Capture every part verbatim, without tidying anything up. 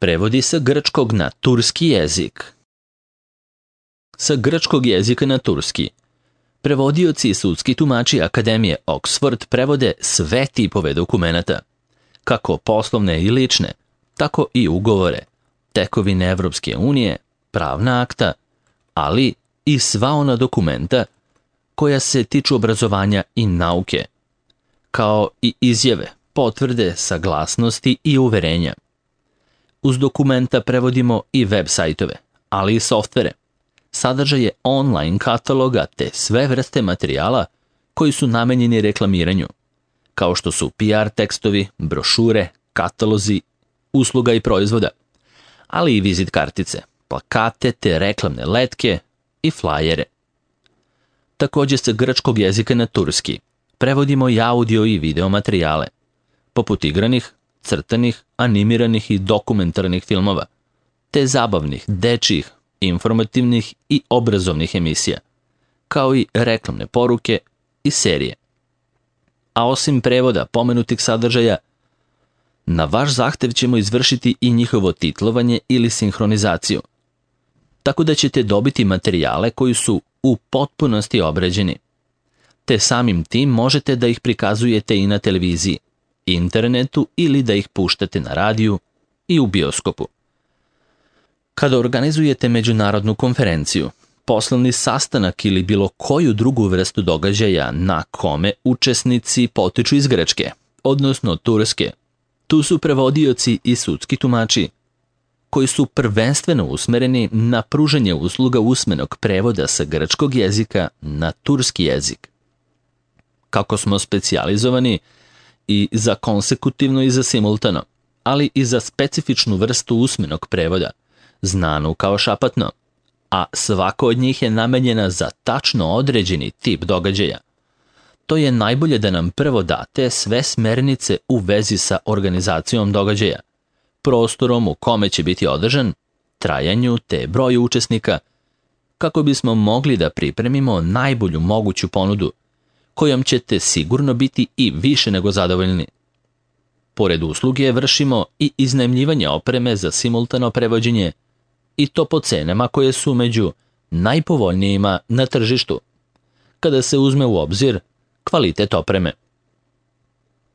Prevodi sa grčkog na turski jezik. Sa grčkog jezika na turski. Prevodioci i sudski tumači Akademije Oxford prevode sve tipove dokumenata, kako poslovne i lične, tako i ugovore, tekovine Evropske unije, pravna akta, ali i sva ona dokumenta koja se tiču obrazovanja i nauke, kao i izjave, potvrde, saglasnosti i uverenja. Uz dokumenta prevodimo i web sajtove, ali i softvere, sadržaje online kataloga te sve vrste materijala koji su namenjeni reklamiranju, kao što su P R tekstovi, brošure, katalozi, usluga i proizvoda, ali i vizit kartice, plakate te reklamne letke i flajere. Također sa grčkog jezika na turski prevodimo i audio i video materijale, poput igranih, crtanih, animiranih i dokumentarnih filmova, te zabavnih, dečjih, informativnih i obrazovnih emisija, kao i reklamne poruke i serije. A osim prevoda pomenutih sadržaja, na vaš zahtev ćemo izvršiti i njihovo titlovanje ili sinhronizaciju, tako da ćete dobiti materijale koji su u potpunosti obrađeni, te samim tim možete da ih prikazujete i na televiziji, internetu ili da ih puštate na radiju i u bioskopu. Kada organizujete međunarodnu konferenciju, poslovni sastanak ili bilo koju drugu vrstu događaja na kome učesnici potiču iz Grčke, odnosno Turske, tu su prevodioci i sudski tumači, koji su prvenstveno usmereni na pružanje usluga usmenog prevoda sa grčkog jezika na turski jezik. Kako smo specijalizovani i za konsekutivno i za simultano, ali i za specifičnu vrstu usmenog prevoda, znanu kao šapatno, a svako od njih je namenjena za tačno određeni tip događaja. To je najbolje da nam prvo date sve smernice u vezi sa organizacijom događaja, prostorom u kome će biti održan, trajanju te broju učesnika, kako bismo mogli da pripremimo najbolju moguću ponudu, kojom ćete sigurno biti i više nego zadovoljni. Pored usluge vršimo i iznajmljivanje opreme za simultano prevođenje, i to po cenama koje su među najpovoljnijima na tržištu, kada se uzme u obzir kvalitet opreme.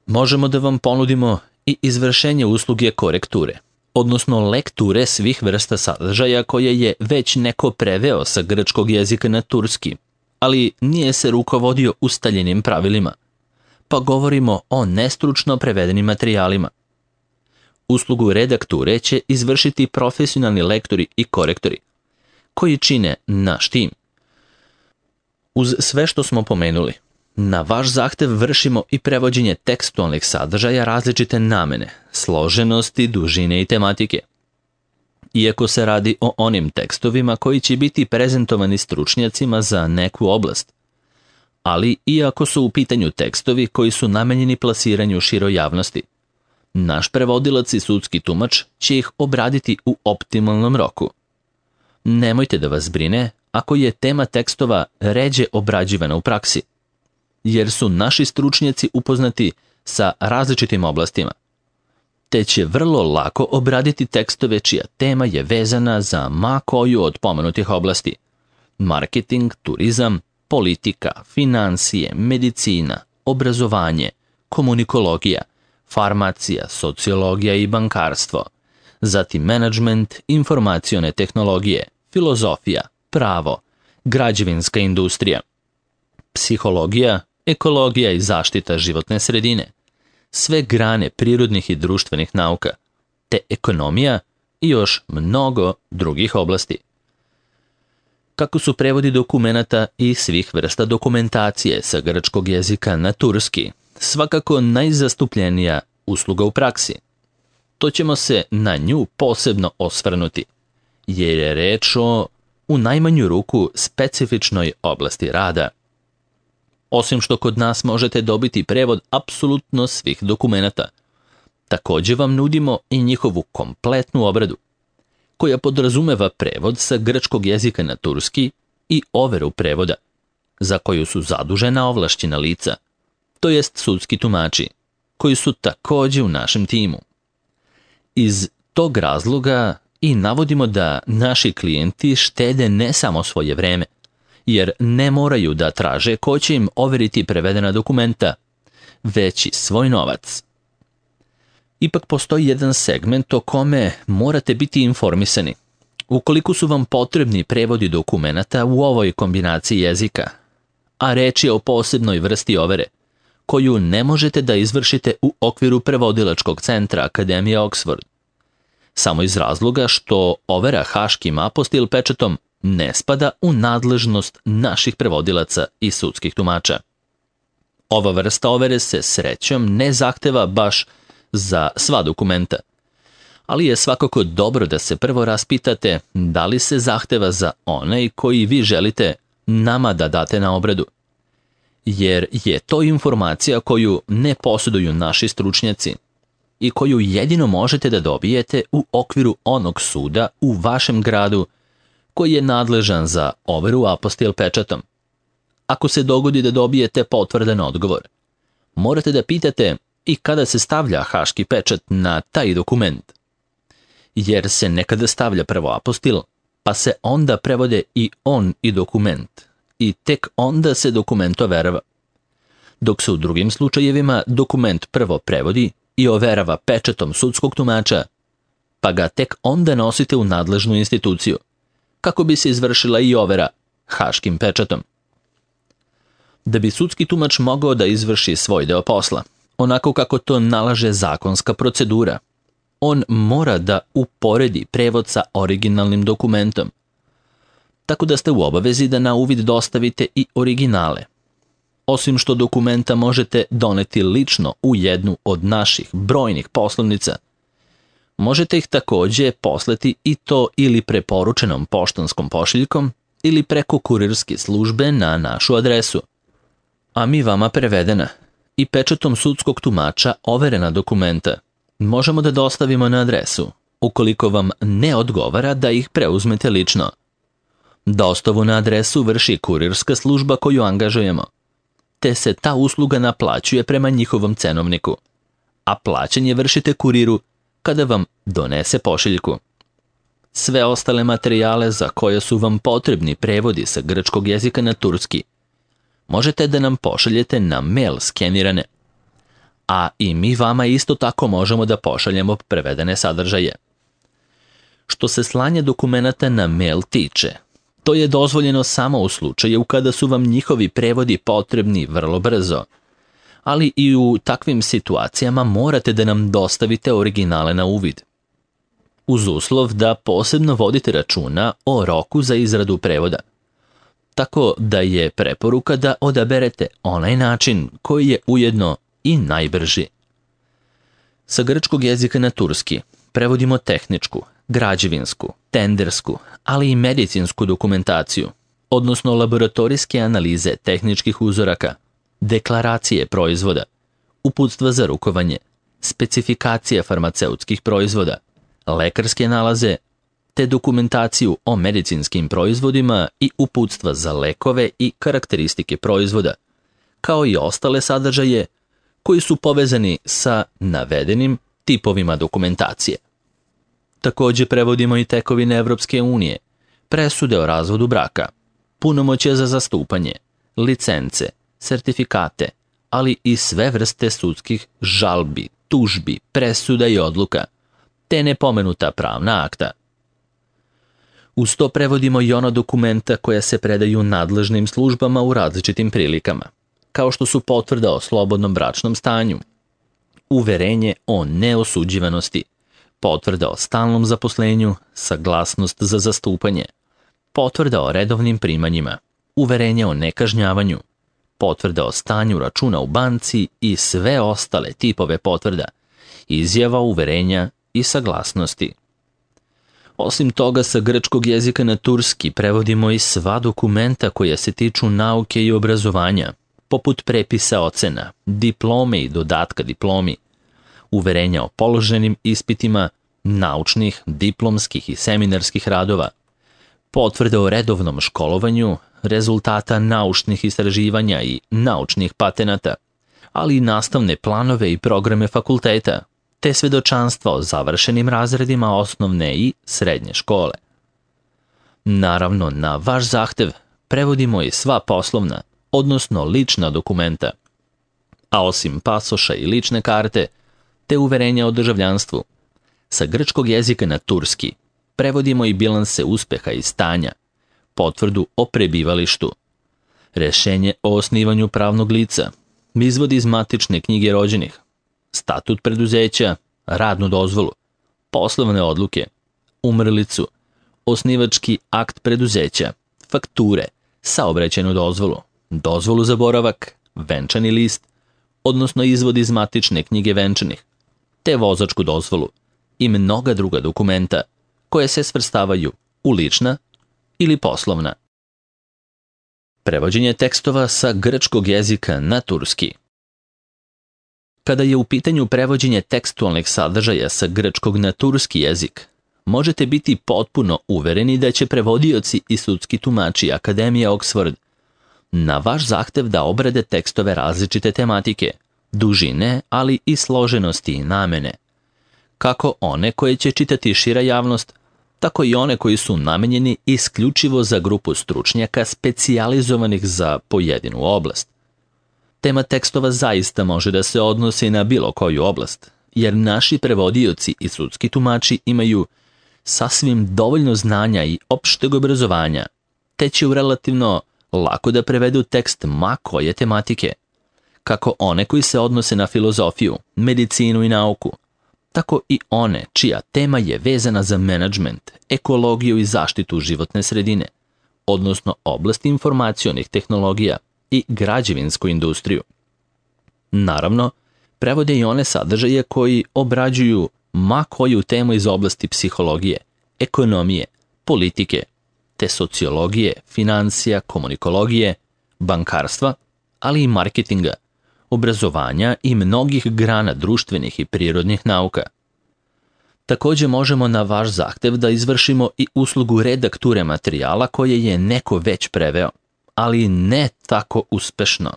Možemo da vam ponudimo i izvršenje usluge korekture, odnosno lekture svih vrsta sadržaja koje je već neko preveo sa grčkog jezika na turski, ali nije se rukovodio ustaljenim pravilima, pa govorimo o nestručno prevedenim materijalima. Uslugu redakture će izvršiti profesionalni lektori i korektori, koji čine naš tim. Uz sve što smo pomenuli, na vaš zahtev vršimo i prevođenje tekstualnih sadržaja različite namene, složenosti, dužine i tematike. Iako se radi o onim tekstovima koji će biti prezentovani stručnjacima za neku oblast, ali iako su u pitanju tekstovi koji su namenjeni plasiranju široj javnosti, naš prevodilac i sudski tumač će ih obraditi u optimalnom roku. Nemojte da vas brine ako je tema tekstova ređe obrađivana u praksi, jer su naši stručnjaci upoznati sa različitim oblastima, te će vrlo lako obraditi tekstove čija tema je vezana za ma koju od pomenutih oblasti: marketing, turizam, politika, financije, medicina, obrazovanje, komunikologija, farmacija, sociologija i bankarstvo, zatim menadžment, informacione tehnologije, filozofija, pravo, građevinska industrija, psihologija, ekologija i zaštita životne sredine, sve grane prirodnih i društvenih nauka, te ekonomija i još mnogo drugih oblasti. Kako su prevodi dokumenata i svih vrsta dokumentacije sa grčkog jezika na turski svakako najzastupljenija usluga u praksi, to ćemo se na nju posebno osvrnuti, jer je reč o, u najmanju ruku, specifičnoj oblasti rada. Osim što kod nas možete dobiti prevod apsolutno svih dokumenata, također vam nudimo i njihovu kompletnu obradu, koja podrazumeva prevod sa grčkog jezika na turski i overu prevoda, za koju su zadužena ovlašćena lica, to jest sudski tumači, koji su također u našem timu. Iz tog razloga i navodimo da naši klijenti štede ne samo svoje vreme, jer ne moraju da traže ko će im overiti prevedena dokumenta, već i svoj novac. Ipak postoji jedan segment o kome morate biti informisani. Ukoliko su vam potrebni prevodi dokumenata u ovoj kombinaciji jezika, a reč je o posebnoj vrsti overe, koju ne možete da izvršite u okviru prevodilačkog centra Akademije Oxford, samo iz razloga što overa haškim apostil pečatom ne spada u nadležnost naših prevodilaca i sudskih tumača. Ova vrsta overe se srećom ne zahteva baš za sva dokumenta, ali je svakako dobro da se prvo raspitate da li se zahteva za onaj koji vi želite nama da date na obradu, jer je to informacija koju ne posjeduju naši stručnjaci i koju jedino možete da dobijete u okviru onog suda u vašem gradu koji je nadležan za overu apostil pečatom. Ako se dogodi da dobijete potvrdan odgovor, morate da pitate i kada se stavlja haški pečat na taj dokument, jer se nekada stavlja prvo apostil, pa se onda prevode i on i dokument, i tek onda se dokument overava. Dok se u drugim slučajevima dokument prvo prevodi i overava pečatom sudskog tumača, pa ga tek onda nosite u nadležnu instituciju, kako bi se izvršila i overa haškim pečatom. Da bi sudski tumač mogao da izvrši svoj deo posla, onako kako to nalaže zakonska procedura, on mora da uporedi prevod sa originalnim dokumentom, tako da ste u obavezi da na uvid dostavite i originale. Osim što dokumenta možete doneti lično u jednu od naših brojnih poslovnica, možete ih takođe poslati i to ili preporučenom poštanskom pošiljkom ili preko kurirske službe na našu adresu, a mi vama prevedena i pečatom sudskog tumača overena dokumenta možemo da dostavimo na adresu, ukoliko vam ne odgovara da ih preuzmete lično. Dostavu na adresu vrši kurirska služba koju angažujemo, te se ta usluga naplaćuje prema njihovom cenovniku, a plaćanje vršite kuriru kada vam donese pošiljku. Sve ostale materijale za koje su vam potrebni prevodi sa grčkog jezika na turski možete da nam pošaljete na mail skenirane, a i mi vama isto tako možemo da pošaljemo prevedene sadržaje. Što se slanja dokumenata na mail tiče, to je dozvoljeno samo u slučaju kada su vam njihovi prevodi potrebni vrlo brzo, ali i u takvim situacijama morate da nam dostavite originale na uvid, uz uslov da posebno vodite računa o roku za izradu prevoda, tako da je preporuka da odaberete onaj način koji je ujedno i najbrži. Sa grčkog jezika na turski prevodimo tehničku, građevinsku, tendersku, ali i medicinsku dokumentaciju, odnosno laboratorijske analize tehničkih uzoraka, deklaracije proizvoda, uputstva za rukovanje, specifikacije farmaceutskih proizvoda, lekarske nalaze, te dokumentaciju o medicinskim proizvodima i uputstva za lekove i karakteristike proizvoda, kao i ostale sadržaje koji su povezani sa navedenim tipovima dokumentacije. Takođe prevodimo i tekovine Evropske unije, presude o razvodu braka, punomoćje za zastupanje, licence, sertifikate, ali i sve vrste sudskih žalbi, tužbi, presuda i odluka, te nepomenuta pravna akta. Uz to prevodimo i ona dokumenta koja se predaju nadležnim službama u različitim prilikama, kao što su potvrda o slobodnom bračnom stanju, uverenje o neosuđivanosti, potvrda o stalnom zaposlenju, saglasnost za zastupanje, potvrda o redovnim primanjima, uverenje o nekažnjavanju, potvrda o stanju računa u banci i sve ostale tipove potvrda, izjava uverenja i saglasnosti. Osim toga, sa grčkog jezika na turski prevodimo i sva dokumenta koja se tiču nauke i obrazovanja, poput prepisa ocena, diplome i dodatka diplomi, uverenja o položenim ispitima, naučnih, diplomskih i seminarskih radova, potvrde o redovnom školovanju, rezultata naučnih istraživanja i naučnih patenata, ali i nastavne planove i programe fakulteta, te svedočanstva o završenim razredima osnovne i srednje škole. Naravno, na vaš zahtev prevodimo i sva poslovna, odnosno lična dokumenta, a osim pasoša i lične karte, te uverenja o državljanstvu, sa grčkog jezika na turski prevodimo i bilanse uspeha i stanja, potvrdu o prebivalištu, rešenje o osnivanju pravnog lica, izvod iz matične knjige rođenih, statut preduzeća, radnu dozvolu, poslovne odluke, umrlicu, osnivački akt preduzeća, fakture, saobraćajnu dozvolu, dozvolu za boravak, venčani list, odnosno izvod iz matične knjige venčanih, te vozačku dozvolu i mnoga druga dokumenta koje se svrstavaju u lična ili poslovna. Prevođenje tekstova sa grčkog jezika na turski. Kada je u pitanju prevođenje tekstualnih sadržaja sa grčkog na turski jezik, možete biti potpuno uvereni da će prevodioci i sudski tumači Akademije Oxford na vaš zahtev da obrade tekstove različite tematike, dužine, ali i složenosti i namene, kako one koje će čitati šira javnost, tako i one koji su namenjeni isključivo za grupu stručnjaka specijalizovanih za pojedinu oblast. Tema tekstova zaista može da se odnosi na bilo koju oblast, jer naši prevodioci i sudski tumači imaju sasvim dovoljno znanja i opšteg obrazovanja, te će u relativno lako da prevedu tekst ma koje tematike, kako one koji se odnose na filozofiju, medicinu i nauku, tako i one čija tema je vezana za menadžment, ekologiju i zaštitu životne sredine, odnosno oblast informacionih tehnologija i građevinsku industriju. Naravno, prevode i one sadržaje koji obrađuju ma koju temu iz oblasti psihologije, ekonomije, politike, te sociologije, financija, komunikologije, bankarstva, ali i marketinga, obrazovanja i mnogih grana društvenih i prirodnih nauka. Također možemo na vaš zahtev da izvršimo i uslugu redakture materijala koje je neko već preveo, ali ne tako uspešno.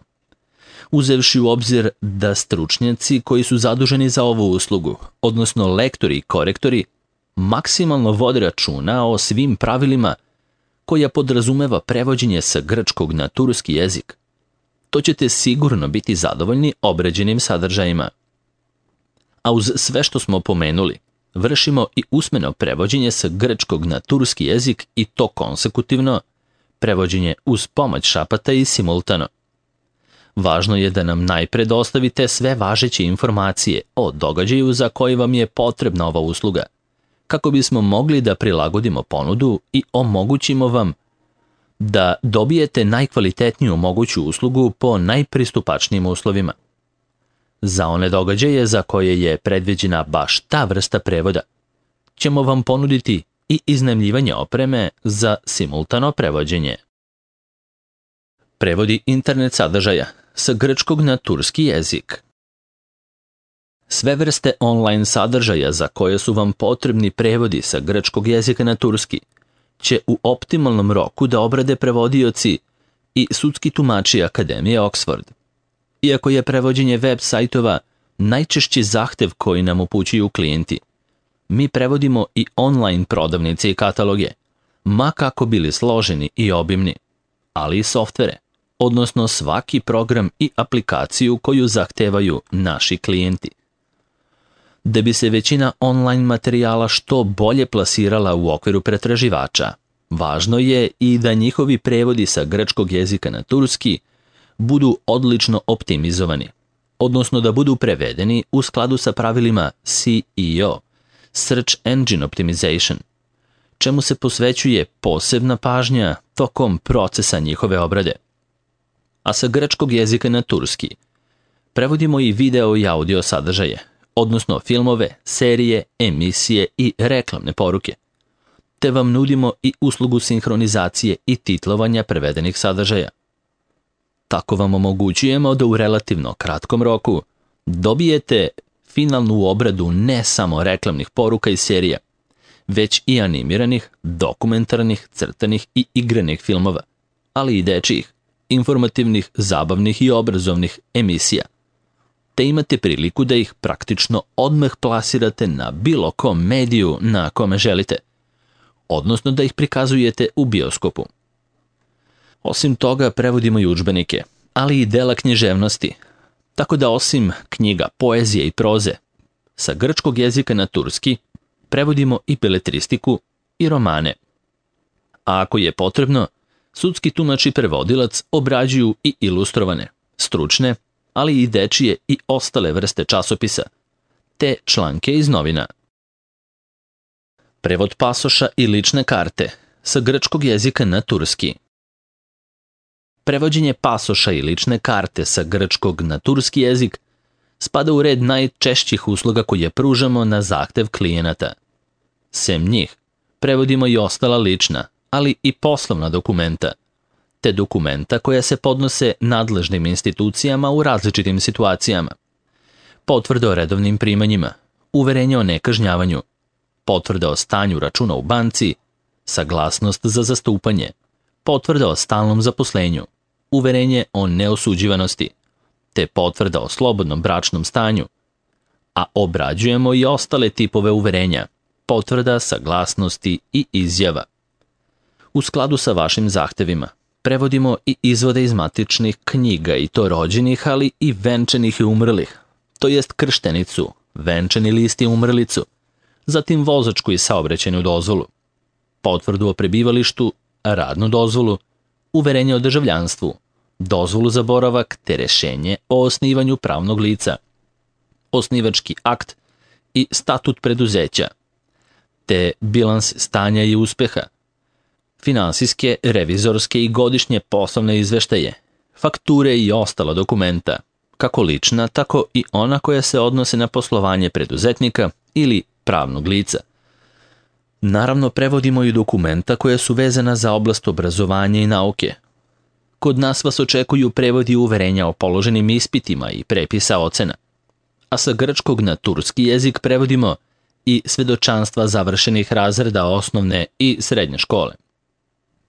Uzevši u obzir da stručnjaci koji su zaduženi za ovu uslugu, odnosno lektori i korektori, maksimalno vode računa o svim pravilima koja podrazumeva prevođenje sa grčkog na turski jezik, to ćete sigurno biti zadovoljni obrađenim sadržajima. A uz sve što smo pomenuli, vršimo i usmeno prevođenje sa grčkog na turski jezik i to konsekutivno, prevođenje uz pomoć šapata i simultano. Važno je da nam najpre dostavite sve važeće informacije o događaju za koji vam je potrebna ova usluga, kako bismo mogli da prilagodimo ponudu i omogućimo vam da dobijete najkvalitetniju moguću uslugu po najpristupačnijim uslovima. Za one događaje za koje je predviđena baš ta vrsta prevoda, ćemo vam ponuditi i iznajmljivanje opreme za simultano prevođenje. Prevodi internet sadržaja sa grčkog na turski jezik. Sve vrste online sadržaja za koje su vam potrebni prevodi sa grčkog jezika na turski će u optimalnom roku da obrade prevodioci i sudski tumači Akademije Oxford. Iako je prevođenje web sajtova najčešći zahtev koji nam upućuju klijenti, mi prevodimo i online prodavnice i kataloge, ma kako bili složeni i obimni, ali i softvere, odnosno svaki program i aplikaciju koju zahtevaju naši klijenti. Da bi se većina online materijala što bolje plasirala u okviru pretraživača, važno je i da njihovi prevodi sa grčkog jezika na turski budu odlično optimizovani, odnosno da budu prevedeni u skladu sa pravilima S E O, Search Engine Optimization, čemu se posvećuje posebna pažnja tokom procesa njihove obrade. A sa grčkog jezika na turski prevodimo i video i audio sadržaje, odnosno filmove, serije, emisije i reklamne poruke, te vam nudimo i uslugu sinhronizacije i titlovanja prevedenih sadržaja. Tako vam omogućujemo da u relativno kratkom roku dobijete finalnu obradu ne samo reklamnih poruka i serija, već i animiranih, dokumentarnih, crtanih i igranih filmova, ali i dečijih, informativnih, zabavnih i obrazovnih emisija. te imate priliku da ih praktično odmah plasirate na bilo kom mediju na kome želite, odnosno da ih prikazujete u bioskopu. Osim toga, prevodimo i udžbenike, ali i dela književnosti, tako da osim knjiga, poezije i proze, sa grčkog jezika na turski prevodimo i beletristiku i romane. A ako je potrebno, sudski tumač i prevodilac obrađuju i ilustrovane, stručne, ali i dečije i ostale vrste časopisa, te članke iz novina. Prevod pasoša i lične karte sa grčkog jezika na turski. Prevođenje pasoša i lične karte sa grčkog na turski jezik spada u red najčešćih usluga koje pružamo na zahtev klijenata. Sem njih, prevodimo i ostala lična, ali i poslovna dokumenta, te dokumenta koja se podnose nadležnim institucijama u različitim situacijama. Potvrde o redovnim primanjima, uverenje o nekažnjavanju, potvrde o stanju računa u banci, saglasnost za zastupanje, potvrde o stalnom zaposlenju, uverenje o neosuđivanosti, te potvrda o slobodnom bračnom stanju, a obrađujemo i ostale tipove uverenja, potvrda, saglasnosti i izjava. U skladu sa vašim zahtevima, prevodimo i izvode iz matičnih knjiga i to rođenih, ali i venčanih i umrlih, to jest krštenicu, venčani list i umrlicu, zatim vozačku i saobraćajnu dozvolu, potvrdu o prebivalištu, radnu dozvolu, uverenje o državljanstvu, dozvolu za boravak te rešenje o osnivanju pravnog lica, osnivački akt i statut preduzeća, te bilans stanja i uspeha, finansijske, revizorske i godišnje poslovne izveštaje, fakture i ostala dokumenta, kako lična, tako i ona koja se odnose na poslovanje preduzetnika ili pravnog lica. Naravno, prevodimo i dokumenta koja su vezana za oblast obrazovanja i nauke. Kod nas vas očekuju prevodi uverenja o položenim ispitima i prepisa ocena, a sa grčkog na turski jezik prevodimo i svedočanstva završenih razreda osnovne i srednje škole,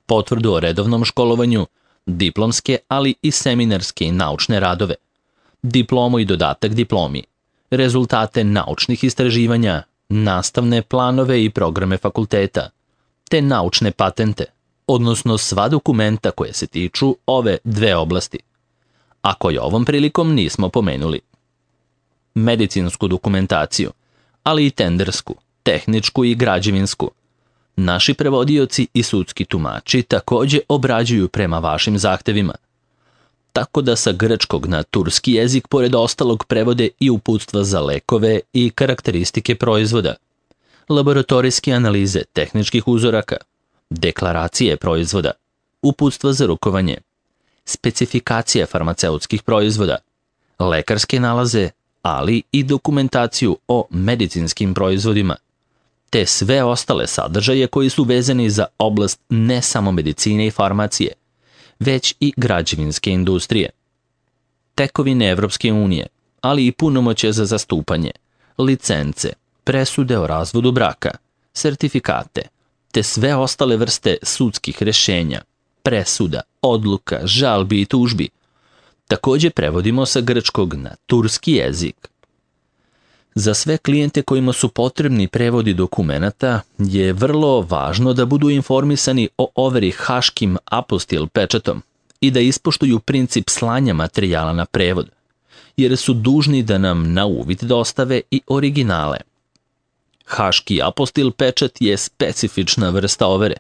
potvrdu o redovnom školovanju, diplomske, ali i seminarske i naučne radove, diplomu i dodatak diplomi, rezultate naučnih istraživanja, nastavne planove i programe fakulteta, te naučne patente, odnosno sva dokumenta koje se tiču ove dve oblasti, a koje ovom prilikom nismo pomenuli. Medicinsku dokumentaciju, ali i tendersku, tehničku i građevinsku. Naši prevodioci i sudski tumači takođe obrađuju prema vašim zahtevima, tako da sa grčkog na turski jezik pored ostalog prevode i uputstva za lekove i karakteristike proizvoda, laboratorijske analize tehničkih uzoraka, deklaracije proizvoda, uputstva za rukovanje, specifikacije farmaceutskih proizvoda, lekarske nalaze, ali i dokumentaciju o medicinskim proizvodima, te sve ostale sadržaje koji su vezani za oblast ne samo medicine i farmacije, već i građevinske industrije. Tekovine Evropske unije, ali i punomoćje za zastupanje, licence, presude o razvodu braka, sertifikate, te sve ostale vrste sudskih rešenja, presuda, odluka, žalbi i tužbi, takođe prevodimo sa grčkog na turski jezik. Za sve klijente kojima su potrebni prevodi dokumenata je vrlo važno da budu informisani o overi haškim apostil pečatom i da ispoštuju princip slanja materijala na prevod, jer su dužni da nam na uvid dostave i originale. Haški apostil pečat je specifična vrsta overe,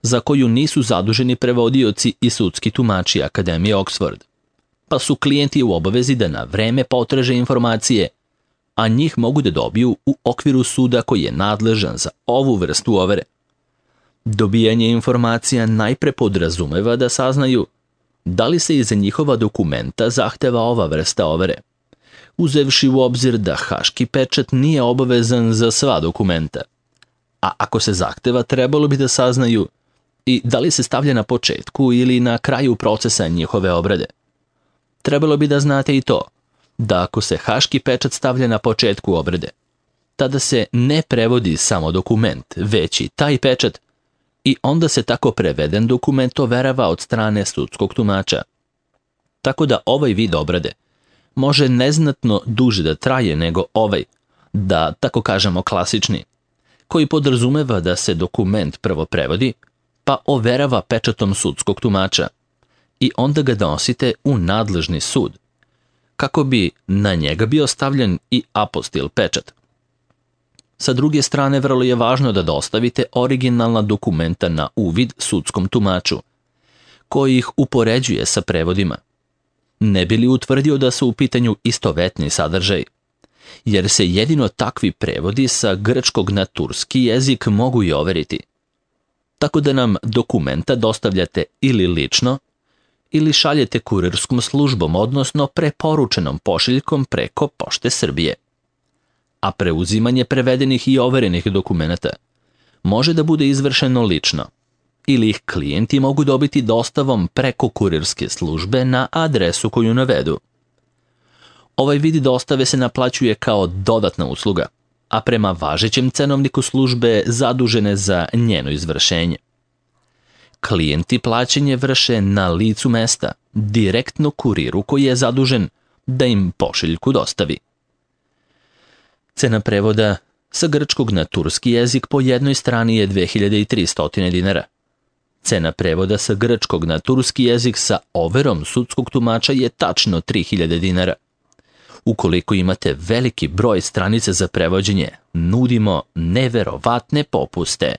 za koju nisu zaduženi prevodioci i sudski tumači Akademije Oxford, pa su klijenti u obavezi da na vreme potraže informacije, a njih mogu da dobiju u okviru suda koji je nadležan za ovu vrstu overe. Dobijanje informacija najpre podrazumeva da saznaju da li se iza njihova dokumenta zahteva ova vrsta overe, uzevši u obzir da haški pečat nije obavezan za sva dokumenta. A ako se zahteva, trebalo bi da saznaju i da li se stavlja na početku ili na kraju procesa njihove obrade. Trebalo bi da znate i to, da ako se haški pečat stavlja na početku obrade, tada se ne prevodi samo dokument, već i taj pečat, i onda se tako preveden dokument overava od strane sudskog tumača. Tako da ovaj vid obrade može neznatno duže da traje nego ovaj, da tako kažemo klasični, koji podrazumeva da se dokument prvo prevodi, pa overava pečatom sudskog tumača i onda ga donosite u nadležni sud, kako bi na njega bio stavljen i apostil pečat. Sa druge strane, vrlo je važno da dostavite originalna dokumenta na uvid sudskom tumaču, koji ih upoređuje sa prevodima, ne bi li utvrdio da su u pitanju istovetni sadržaj, jer se jedino takvi prevodi sa grčkog na turski jezik mogu i overiti. Tako da nam dokumenta dostavljate ili lično, ili šaljete kurirskom službom, odnosno preporučenom pošiljkom preko Pošte Srbije. A preuzimanje prevedenih i overenih dokumenata može da bude izvršeno lično, ili ih klijenti mogu dobiti dostavom preko kurirske službe na adresu koju navedu. Ovaj vid dostave se naplaćuje kao dodatna usluga, a prema važećem cenovniku službe zadužene za njeno izvršenje. Klijenti plaćanje vrše na licu mesta, direktno kuriru koji je zadužen da im pošiljku dostavi. Cena prevoda sa grčkog na turski jezik po jednoj strani je dve hiljade tristo dinara. Cena prevoda sa grčkog na turski jezik sa overom sudskog tumača je tačno tri hiljade dinara. Ukoliko imate veliki broj stranica za prevođenje, nudimo neverovatne popuste.